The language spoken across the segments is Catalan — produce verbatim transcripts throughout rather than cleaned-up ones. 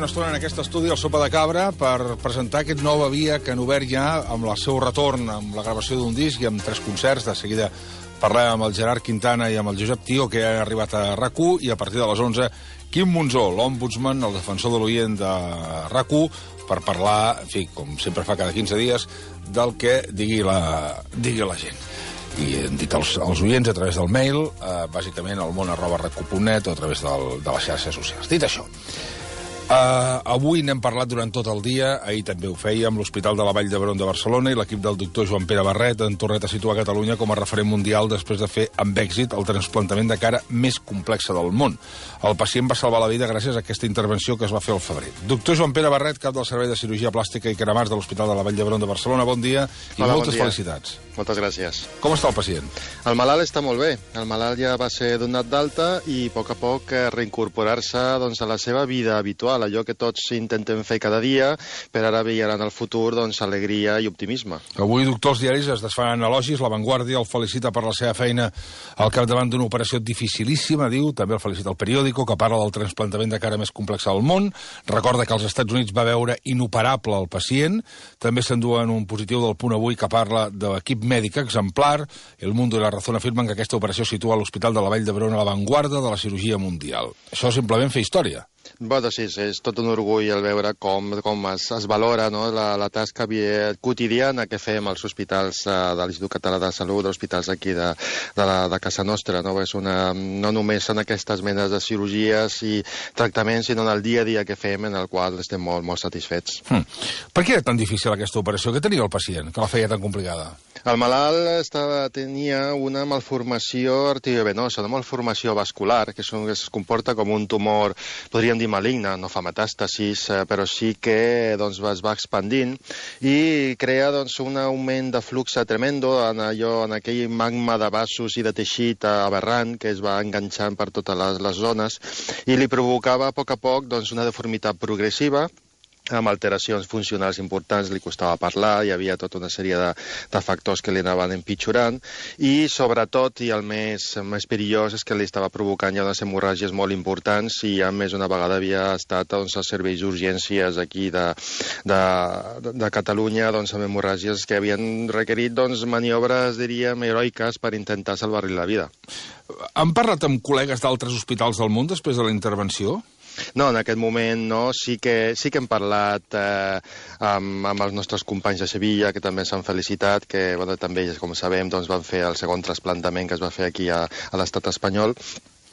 una estona en aquest estudi al Sopa de Cabra per presentar aquest nova via que han obert ja amb el seu retorn, amb la gravació d'un disc i amb tres concerts. De seguida parlem amb el Gerard Quintana i amb el Josep Tío, que han arribat a RAC u, i a partir de les onze, Quim Monzó, l'ombudsman, el defensor de l'oient de RAC u, per parlar, en fi, com sempre fa cada quinze dies, del que digui la, digui la gent. I hem dit als, als oients a través del mail, eh, bàsicament al món arroba rac u punt net o a través del, de les xarxes socials. Dit això, Uh, avui n'hem parlat durant tot el dia, ahir també ho fèiem, l'Hospital de la Vall d'Hebron de Barcelona i l'equip del doctor Joan Pere Barret han tornat a situar Catalunya com a referent mundial després de fer amb èxit el trasplantament de cara més complexa del món. El pacient va salvar la vida gràcies a aquesta intervenció que es va fer al febrer. Doctor Joan Pere Barret, cap del Servei de Cirurgia Plàstica i Cremats de l'Hospital de la Vall d'Hebron de Barcelona, bon dia i Hola, moltes bon dia. felicitats. Moltes gràcies. Com està el pacient? El malalt està molt bé. El malalt ja va ser donat d'alta i a poc a poc reincorporar-se doncs, a la seva vida habitual, allò que tots intentem fer cada dia, per ara veure en el futur doncs, alegria i optimisme. Avui, doctor, els diaris es desfan elogis. La Vanguardia el felicita per la seva feina al capdavant d'una operació dificilíssima, diu. També el felicita el periòdico, que parla del trasplantament de cara més complex al món. Recorda que als Estats Units va veure inoperable el pacient. També s'enduen un positiu del Punt Avui que parla de l'equip mèdic exemplar. El Mundo i la Razón afirmen que aquesta operació situa l'Hospital de la Vall d'Hebron a l'avantguarda de la cirurgia mundial. Això simplement fer història. Bueno, sí, és tot un orgull el veure com, com es, es valora, no? la, la tasca quotidiana que fem als hospitals eh, de l'Institut Català de Salut, hospitals aquí de, de, la, de casa nostra. No? És una, no només en aquestes menes de cirurgies i tractaments, sinó en el dia a dia que fem, en el qual estem molt, molt satisfets. Hmm. Per què era tan difícil aquesta operació? Què tenia el pacient, que la feia tan complicada? El malalt estava, tenia una malformació arteriovenosa, una malformació vascular, que, és un, que es comporta com un tumor, podríem dir maligne, no fa metàstasis, eh, però sí que doncs, es va expandint i crea doncs, un augment de flux tremendo en, allò, en aquell magma de vasos i de teixit aberrant que es va enganxant per totes les, les zones i li provocava a poc a poc doncs, una deformitat progressiva, amb alteracions funcionals importants, li costava parlar, hi havia tota una sèrie de, de factors que li anaven empitjorant i, sobretot, i el més, més perillós és que li estava provocant ja unes hemorràgies molt importants i a més una vegada havia estat doncs, als serveis d'urgències aquí de, de, de Catalunya doncs, amb hemorràgies que havien requerit doncs, maniobres, diríem, heroiques per intentar salvar-li la vida. Han parlat amb col·legues d'altres hospitals del món després de la intervenció? No, en aquest moment no. Sí que, sí que hem parlat eh, amb, amb els nostres companys de Sevilla, que també s'han felicitat, que bueno, també, com sabem, doncs, van fer el segon trasplantament que es va fer aquí a, a l'estat espanyol.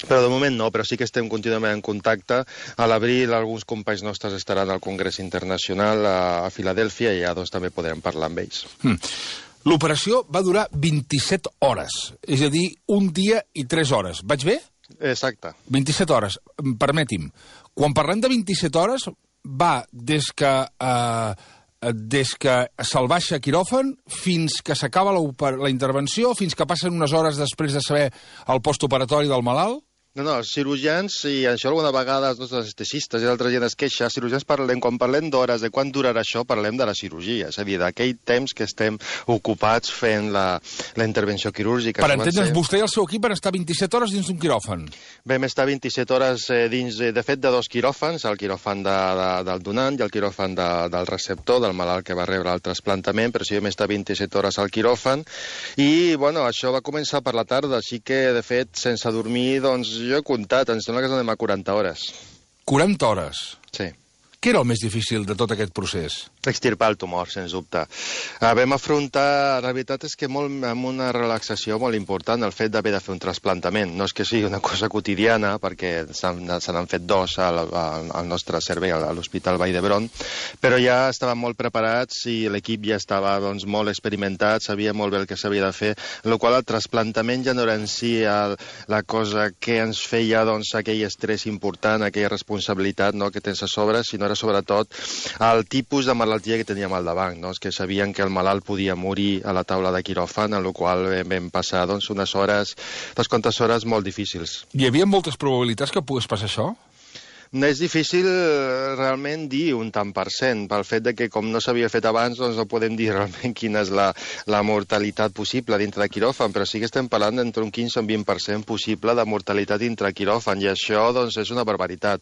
Però de moment no, però sí que estem contínuament en contacte. A l'abril alguns companys nostres estaran al Congrés Internacional a, a Filadèlfia i ja doncs, també podrem parlar amb ells. Hmm. L'operació va durar vint-i-set hores, és a dir, un dia i tres hores. Vaig bé? Exacte. vint-i-set hores. Permeti'm, quan parlem de vint-i-set hores, va des que, eh, des que se'l baixa a quiròfan fins que s'acaba la, la intervenció, fins que passen unes hores després de saber el postoperatori del malalt? No, no, els cirurgians, i això alguna vegada els nostres anestesistes i l'altra gent es queixa, cirurgians parlem, quan parlem d'hores, de quan durarà això, parlem de la cirurgia, és a dir, d'aquell temps que estem ocupats fent la, la intervenció quirúrgica. Per entendre'ns, ser... vostè i el seu equip van estar vint-i-set hores dins d'un quiròfan. Vam estar vint-i-set hores eh, dins, de fet, de dos quiròfans, el quiròfan de, de, del donant i el quiròfan de, del receptor, del malalt que va rebre el trasplantament, però sí vam estar vint-i-set hores al quiròfan, i, bueno, això va començar per la tarda, així que, de fet, sense dormir, doncs, jo he comptat, em sembla que anem a quaranta hores. quaranta hores? Sí. Què era el més difícil de tot aquest procés? Extirpar el tumor, sens dubte. Uh, vam afrontar, la veritat és que molt, amb una relaxació molt important el fet d'haver de fer un trasplantament. No és que sigui una cosa quotidiana, perquè se n'han fet dos al, al nostre servei, a l'Hospital Vall d'Hebron, però ja estàvem molt preparats i l'equip ja estava doncs, molt experimentat, sabia molt bé el que s'havia de fer, en la qual el trasplantament ja no era en si el, la cosa que ens feia doncs, aquell estrès important, aquella responsabilitat no, que tens a sobre, sinó era sobretot el tipus de malaltia que teníem al davant, no? És que sabien que el malalt podia morir a la taula de quiròfan, en la qual vam passar doncs, unes hores, unes quantes hores molt difícils. Hi havia moltes probabilitats que pogués passar això? És difícil realment dir un tant per cent, pel fet de que com no s'havia fet abans, doncs no podem dir realment quina és la, la mortalitat possible dintre de quiròfan, però sí que estem parlant d'entre un quinze o un vint per cent possible de mortalitat dintre quiròfan, i això doncs, és una barbaritat.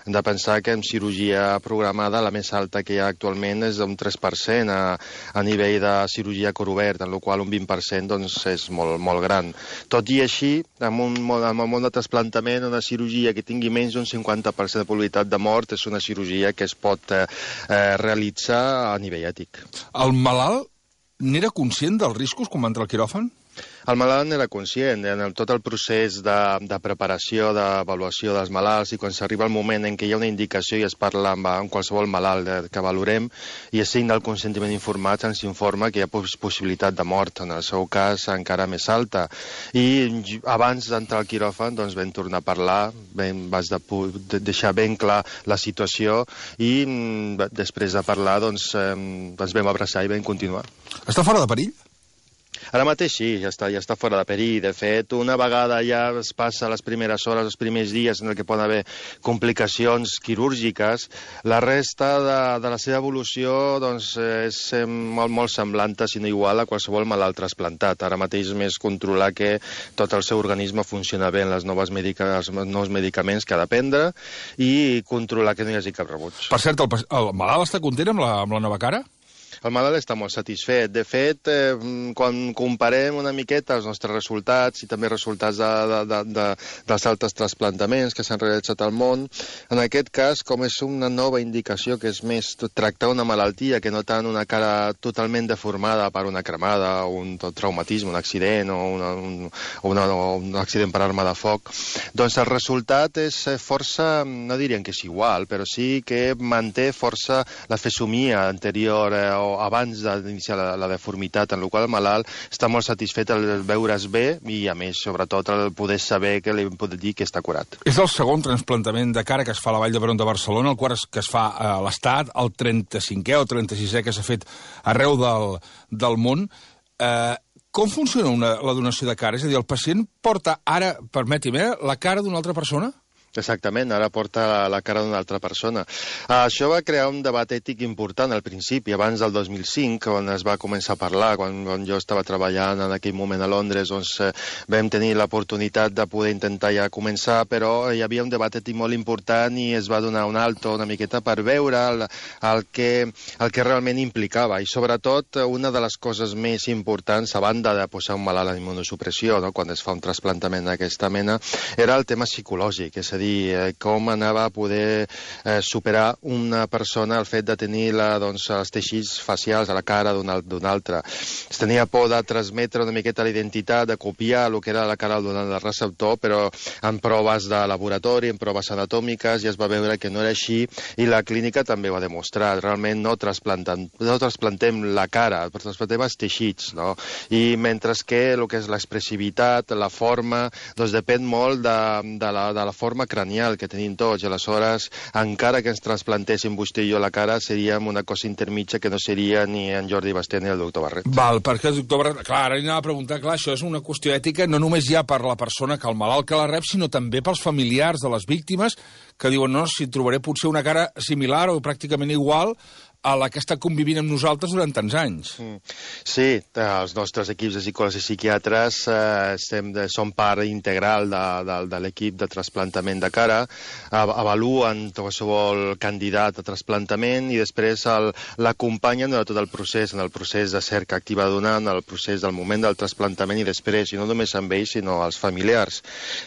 Hem de pensar que en cirurgia programada la més alta que hi ha actualment és un tres per cent a, a nivell de cirurgia cor obert, en la qual un vint per cent doncs, és molt, molt gran. Tot i així, amb un, amb un món de trasplantament, una cirurgia que tingui menys d'un cinquanta per cent de probabilitat de mort és una cirurgia que es pot eh, realitzar a nivell ètic. El malalt n'era conscient dels riscos quan va entrar al quiròfan? El malalt n'era conscient, en el, tot el procés de, de preparació, d'avaluació dels malalts, i quan s'arriba el moment en què hi ha una indicació i es parla amb, amb qualsevol malalt de, que valorem, i es signa el consentiment informat, ens informa que hi ha possibilitat de mort, en el seu cas encara més alta. I abans d'entrar al quiròfan doncs, vam tornar a parlar, vam, vaig de, de deixar ben clar la situació, i després de parlar doncs, eh, ens vam abraçar i vam continuar. Està fora de perill? Ara mateix sí, ja està, ja està fora de perill. De fet, una vegada ja es passa les primeres hores, els primers dies en què poden haver complicacions quirúrgiques, la resta de, de la seva evolució doncs, és molt, molt semblant, si no igual, a qualsevol malalt trasplantat. Ara mateix és més controlar que tot el seu organisme funciona bé en les noves medica, els nous medicaments que ha de prendre i controlar que no hi hagi cap rebuig. Per cert, el, el malalt està content amb la, amb la nova cara? El malalt està molt satisfet. De fet, eh, quan comparem una miqueta els nostres resultats i també resultats de, de, de, de, dels altres trasplantaments que s'han realitzat al món, en aquest cas, com és una nova indicació que és més tractar una malaltia que no tant una cara totalment deformada per una cremada o un traumatisme, un accident o, una, un, una, o un accident per arma de foc, doncs el resultat és força, no dirien que és igual, però sí que manté força la fesomia anterior eh, o abans d'iniciar la, la deformitat, en la qual el malalt està molt satisfet al veure's bé i, a més, sobretot, el poder saber que li pot dir que està curat. És el segon trasplantament de cara que es fa a la Vall d'Hebron de Barcelona, el quart que es fa a l'Estat, el trenta-cinquè o trenta-sisè que s'ha fet arreu del, del món. Eh, com funciona una, la donació de cara? És a dir, el pacient porta ara, permeti'm, eh, la cara d'una altra persona? Exactament, ara porta la cara d'una altra persona. Això va crear un debat ètic important al principi, abans del dos mil cinc, quan es va començar a parlar, quan, quan jo estava treballant en aquell moment a Londres, doncs eh, vam tenir l'oportunitat de poder intentar ja començar, però hi havia un debat ètic molt important i es va donar un alto una miqueta per veure el, el, que, el que realment implicava. I sobretot, una de les coses més importants, a banda de posar un malalt en immunosupressió, no?, quan es fa un trasplantament d'aquesta mena, era el tema psicològic, és a dir, eh, com anava a poder eh, superar una persona el fet de tenir la, doncs, els teixits facials a la cara d'un altre. Es tenia por de transmetre una miqueta la identitat, de copiar el que era la cara del receptor, però en proves de laboratori, en proves anatòmiques, ja es va veure que no era així, i la clínica també ho ha demostrat. Realment no trasplantem, no trasplantem la cara, però trasplantem els teixits, no? I mentre que el que és l'expressivitat, la forma, doncs depèn molt de, de, la, de la forma cranial que tenim tots, i aleshores, encara que ens trasplantéssim vostè i jo la cara, seríem una cosa intermitja que no seria ni en Jordi Basté ni el doctor Barret. Val, perquè el doctor Barret... Clar, ara anava a preguntar, clar, això és una qüestió ètica no només ja per la persona que el malalt que la rep, sinó també pels familiars de les víctimes que diuen, no, si trobaré potser una cara similar o pràcticament igual a la que està convivint amb nosaltres durant tants anys. Sí, els nostres equips de psicòlegs i psiquiatres eh, estem de, són part integral de, de, de l'equip de trasplantament de cara, avaluen qualsevol candidat a trasplantament i després l'acompanyen durant tot el procés, en el procés de cerca activa donant, en el procés del moment del trasplantament i després, i no només amb ells, sinó als familiars.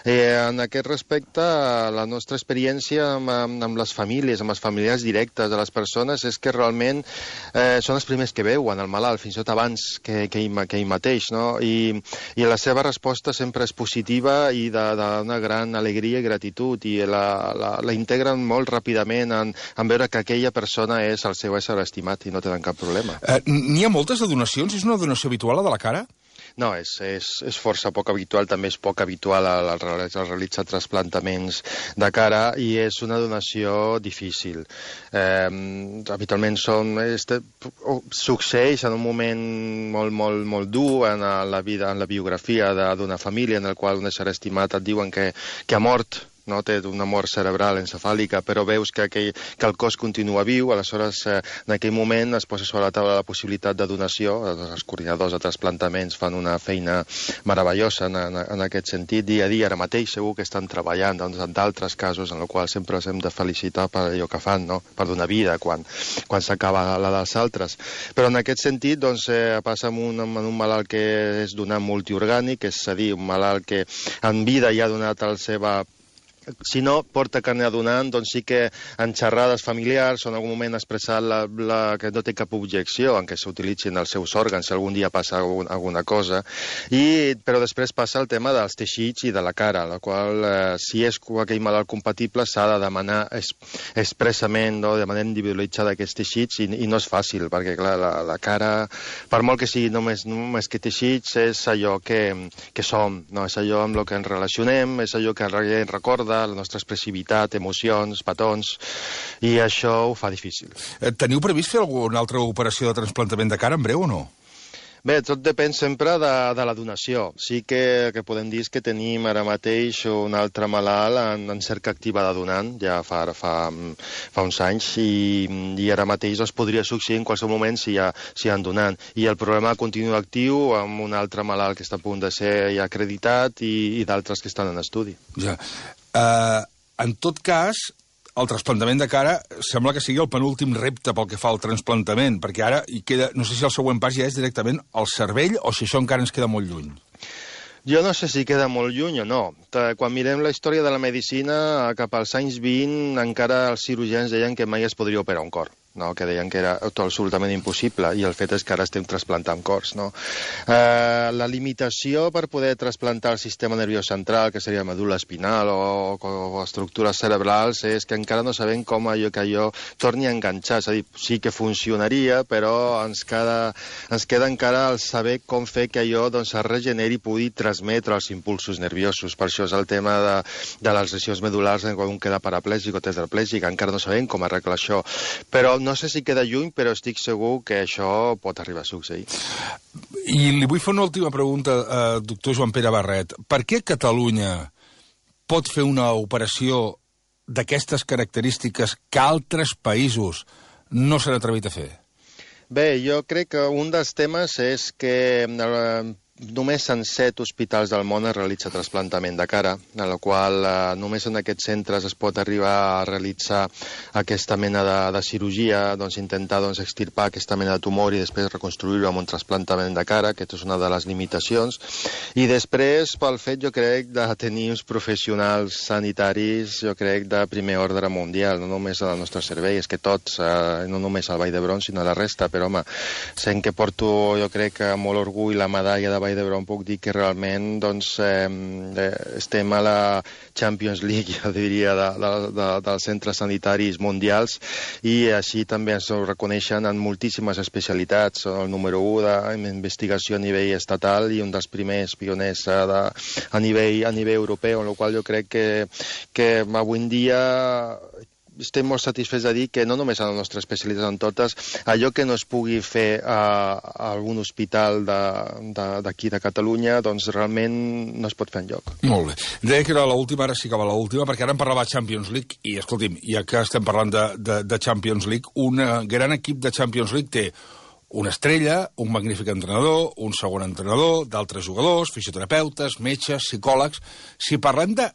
Eh, en aquest respecte, la nostra experiència amb, amb les famílies, amb els familiars directes de les persones, és que realment eh, són els primers que veuen el malalt, fins i tot abans que, que, ell, que ell mateix, no? I, i la seva resposta sempre és positiva i d'una gran alegria i gratitud, i la, la, la integren molt ràpidament en, en veure que aquella persona és el seu ésser estimat i no tenen cap problema. Eh, N'hi ha moltes de donacions? És una donació habitual, la de la cara? No, és, és, és força poc habitual, també és poc habitual el, el, el realitzar trasplantaments de cara i és una donació difícil. Eh, habitualment són, este, succeeix en un moment molt, molt, molt dur en la vida, en la biografia d'una família en el qual un ésser estimat et diuen que, que ha mort no? Té una mort cerebral encefàlica, però veus que, que, que el cos continua viu, aleshores eh, en aquell moment es posa sobre la taula la possibilitat de donació, els coordinadors de trasplantaments fan una feina meravellosa en, en, en aquest sentit, dia a dia, ara mateix segur que estan treballant doncs, en d'altres casos en els quals sempre els hem de felicitar per allò que fan, no? Per donar vida quan, quan s'acaba la dels altres. Però en aquest sentit doncs, eh, passa amb un, amb un malalt que és donant multiorgànic, és a dir, un malalt que en vida ja ha donat la seva... Si no porta carne a donant, doncs sí que en xerrades familiars o en algun moment ha expressat la, la, que no té cap objecció en què s'utilitzin els seus òrgans si algun dia passa algun, alguna cosa. I, però després passa el tema dels teixits i de la cara, la qual, eh, si és aquell malalt compatible, s'ha de demanar es, expressament, no, de manera individualitzada aquests teixits i, i no és fàcil, perquè clar, la, la cara, per molt que sigui només, només que teixits, és allò que, que som, no? És allò amb el que ens relacionem, és allò que ens recorda la nostra expressivitat, emocions, petons, i això ho fa difícil. Teniu previst fer alguna altra operació de trasplantament de cara en breu o no? Bé, tot depèn sempre de, de la donació. Sí que, que podem dir que tenim ara mateix un altre malalt en, en cerca activa de donant, ja fa, fa, fa uns anys, i, i ara mateix es podria succeir en qualsevol moment si hi ha, si hi ha donant. I el programa continua actiu amb un altre malalt que està a punt de ser ja acreditat i, i d'altres que estan en estudi. Ja. Uh, en tot cas, el trasplantament de cara sembla que sigui el penúltim repte pel que fa al trasplantament, perquè ara hi queda, no sé si el següent pas ja és directament al cervell o si això encara ens queda molt lluny. Jo no sé si queda molt lluny o no. Quan mirem la història de la medicina, cap als anys vint, encara els cirurgians deien que mai es podria operar un cor. No, que deien que era absolutament impossible, i el fet és que ara estem trasplantant cors. No? Eh, la limitació per poder trasplantar el sistema nerviós central, que seria medul·la espinal o, o estructures cerebrals, és que encara no sabem com allò que allò torni a enganxar. És a dir, sí que funcionaria, però ens queda, ens queda encara el saber com fer que allò doncs, es regeneri i pugui transmetre els impulsos nerviosos. Per això és el tema de, de les lesions medul·lars quan un queda paraplègic o tetraplègic. Encara no sabem com arreglar això. Però no sé si queda lluny, però estic segur que això pot arribar a succeir. I li vull fer una última pregunta, eh, doctor Joan Pere Barret. Per què Catalunya pot fer una operació d'aquestes característiques que altres països no s'han atrevit a fer? Bé, jo crec que un dels temes és que eh, només en set hospitals del món es realitza trasplantament de cara, en la qual eh, només en aquests centres es pot arribar a realitzar aquesta mena de, de cirurgia, doncs intentar doncs, extirpar aquesta mena de tumor i després reconstruir-ho amb un trasplantament de cara. Aquesta és una de les limitacions. I després, pel fet, jo crec, de tenir uns professionals sanitaris, jo crec, de primer ordre mundial, no només al nostre servei, és que tots, eh, no només al Vall d'Hebron, sinó a la resta, però home, sent que porto, jo crec, molt orgull la medalla de Vall d'Hebron, puc dir que realment doncs, eh, estem a la Champions League, jo diria, de, de, de, dels centres sanitaris mundials, i així també ens ho reconeixen en moltíssimes especialitats. Són el número u d'investigació a nivell estatal i un dels primers pioners a, de, a, nivell, a nivell europeu, en la qual jo crec que, que avui en dia estem molt satisfets de dir que no només a la nostra especialitat en totes, allò que no es pugui fer a, a algun hospital d'aquí de, de, de Catalunya, doncs realment no es pot fer enlloc. Molt bé. Deia que era l'última, ara sí que va l'última, perquè ara em parlava de Champions League, i escolti'm, ja que estem parlant de, de, de Champions League, un gran equip de Champions League té una estrella, un magnífic entrenador, un segon entrenador, d'altres jugadors, fisioterapeutes, metges, psicòlegs. Si parlem de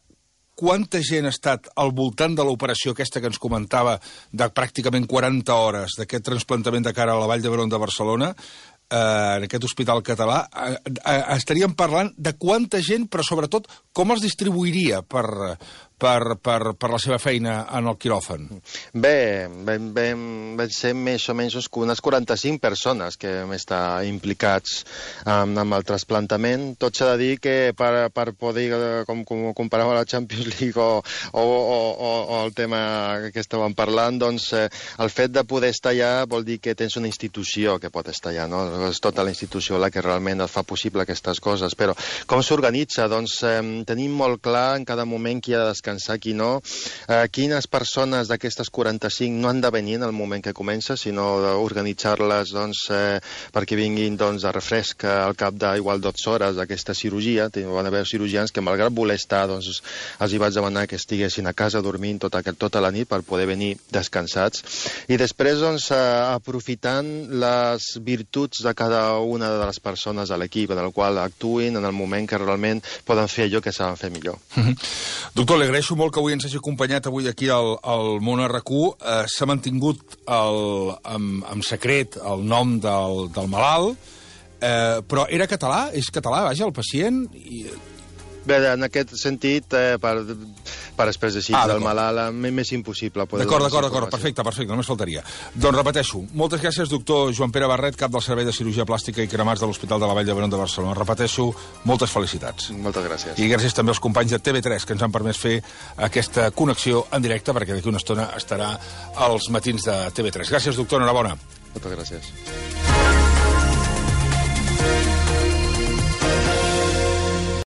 quanta gent ha estat al voltant de l'operació aquesta que ens comentava de pràcticament quaranta hores d'aquest trasplantament de cara a la Vall d'Hebron de Barcelona, eh, en aquest hospital català, eh, eh, estaríem parlant de quanta gent, però sobretot com els distribuiria per, per, per, per la seva feina en el quiròfan? Bé, vam, vam, vam ser més o menys unes quaranta-cinc persones que vam estar implicats amb, amb el trasplantament. Tot s'ha de dir que per, per poder, com, com comparava la Champions League o, o, o, o el tema que estàvem parlant, doncs eh, el fet de poder estar allà vol dir que tens una institució que pot estar allà, no? És tota la institució la que realment fa possible aquestes coses. Però com s'organitza? Doncs eh, tenim molt clar en cada moment qui ha de descansar, qui no. Eh, quines persones d'aquestes quaranta-cinc no han de venir en el moment que comença, sinó d'organitzar-les doncs, eh, perquè vinguin doncs, de refresc al cap d'igual dotze hores d'aquesta cirurgia. Van haver cirurgians que, malgrat voler estar, doncs, els hi vaig demanar que estiguessin a casa dormint tota, tota la nit per poder venir descansats. I després, doncs, eh, aprofitant les virtuts de cada una de les persones a l'equip, en el qual actuïn en el moment que realment poden fer allò que saben fer millor. Mm-hmm. Doctor, li agraeixo molt que avui ens hagi acompanyat avui aquí al, al Món R Q. Eh, S'ha mantingut el, en, en secret el nom del, del malalt, eh, però era català? És català, vaja, el pacient? I... Bé, en aquest sentit, eh, per, per expressar ah, del malalt, més impossible. D'acord, d'acord, d'acord, perfecte, perfecte, només faltaria. Doncs repeteixo, moltes gràcies, doctor Joan Pere Barret, cap del Servei de Cirurgia Plàstica i Cremats de l'Hospital de la Vall d'Hebron de Barcelona. Repeteixo, moltes felicitats. Moltes gràcies. I gràcies també als companys de T V tres, que ens han permès fer aquesta connexió en directe, perquè d'aquí una estona estarà als matins de T V tres. Gràcies, doctor, enhorabona. Moltes gràcies.